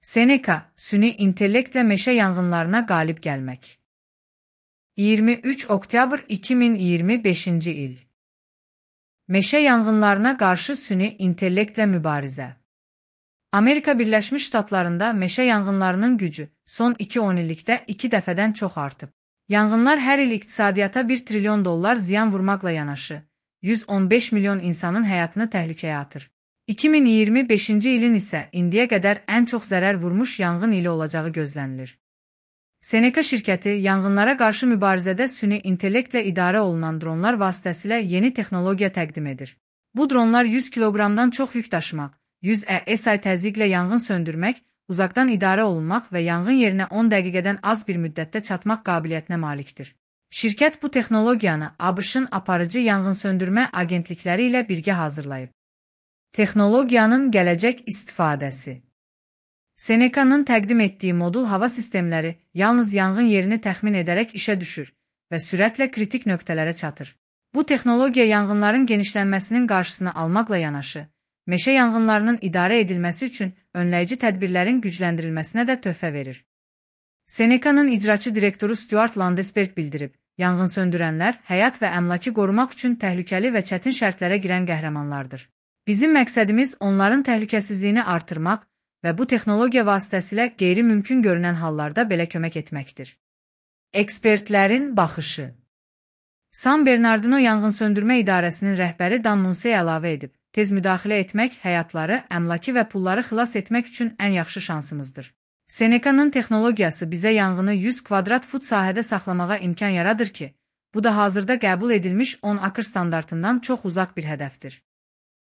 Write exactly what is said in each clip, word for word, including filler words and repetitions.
Seneca, süni intellektlə meşə yanğınlarına qalib gəlmək. iyirmi üç oktyabr iki min iyirmi beşinci il. Meşə yanğınlarına qarşı süni intellektlə mübarizə. Amerika Birləşmiş Ştatlarında meşə yanğınlarının gücü son iki on illikdə iki dəfədən çox artıb. Yanğınlar hər il iqtisadiyyata bir trilyon dollar ziyan vurmaqla yanaşı, yüz on beş milyon insanın həyatını təhlükəyə atır. iki min iyirmi beşinci ilin isə indiyə qədər ən çox zərər vurmuş yanğın ili olacağı gözlənilir. Seneca şirkəti yanğınlara qarşı mübarizədə süni intellektlə idarə olunan dronlar vasitəsilə yeni texnologiya təqdim edir. Bu dronlar yüz kiloqramdan çox yük daşımaq, yüz E S I təzyiqlə yanğın söndürmək, uzaqdan idarə olunmaq və yanğın yerinə on dəqiqədən az bir müddətdə çatmaq qabiliyyətinə malikdir. Şirkət bu texnologiyanı ABŞ-ın aparıcı yanğınsöndürmə agentlikləri ilə birgə hazırlayıb. Texnologiyanın gələcək istifadəsi. Seneca'nın təqdim etdiyi modul hava sistemləri yalnız yanğın yerini təxmin edərək işə düşür və sürətlə kritik nöqtələrə çatır. Bu texnologiya yanğınların genişlənməsinin qarşısını almaqla yanaşı, meşə yanğınlarının idarə edilməsi üçün önləyici tədbirlərin gücləndirilməsinə də töhfə verir. Seneca'nın icraçı direktoru Stuart Landesberg bildirib, yanğınsöndürənlər həyat və əmlakı qorumaq üçün təhlükəli və çətin şərtlərə girən qəhrəmanlardır. Bizim məqsədimiz onların təhlükəsizliyini artırmaq və bu texnologiya vasitəsilə qeyri-mümkün görünən hallarda belə kömək etməkdir. Ekspertlərin baxışı. San Bernardino Yanğınsöndürmə İdarəsinin rəhbəri Dan Munsey əlavə edib, tez müdaxilə etmək həyatları, əmlakı və pulları xilas etmək üçün ən yaxşı şansımızdır. Seneca'nın texnologiyası bizə yanğını yüz kvadrat fut sahədə saxlamağa imkan yaradır ki, bu da hazırda qəbul edilmiş on akr standartından çox uzaq bir hədəfdir.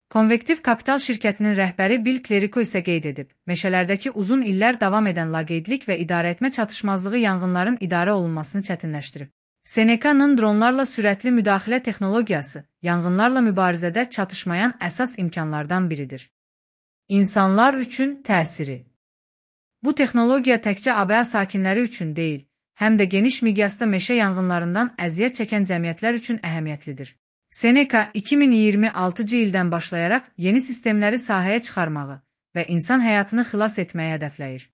Konvektiv Kapital şirkətinin rəhbəri Bill Clerico isə qeyd edib, meşələrdəki uzun illər davam edən laqeydlik və idarəetmə çatışmazlığı yanğınların idarə olunmasını çətinləşdirib. Seneca'nın dronlarla sürətli müdaxilə texnologiyası yanğınlarla mübarizədə çatışmayan əsas imkanlardan biridir. İnsanlar üçün təsiri. Bu texnologiya təkcə A B A sakinləri üçün deyil, həm də geniş miqyasda meşə yanğınlarından əziyyət çəkən cəmiyyətlər üçün əhəmiyyətlidir. Seneca iki min iyirmi altıncı ildən başlayaraq yeni sistemləri sahəyə çıxarmağı və insan həyatını xilas etməyi hədəfləyir.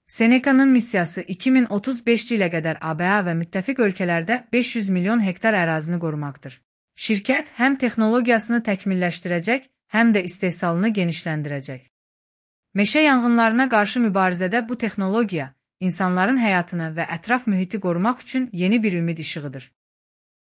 Seneca'nın missiyası iki min otuz beşinci ilə qədər A B A və müttəfiq ölkələrdə beş yüz milyon hektar ərazini qorumaqdır. Şirkət həm texnologiyasını təkmilləşdirəcək, həm də istehsalını genişləndirəcək. Meşə yanğınlarına qarşı mübarizədə bu texnologiya insanların həyatını və ətraf mühiti qorumaq üçün yeni bir ümid işığıdır.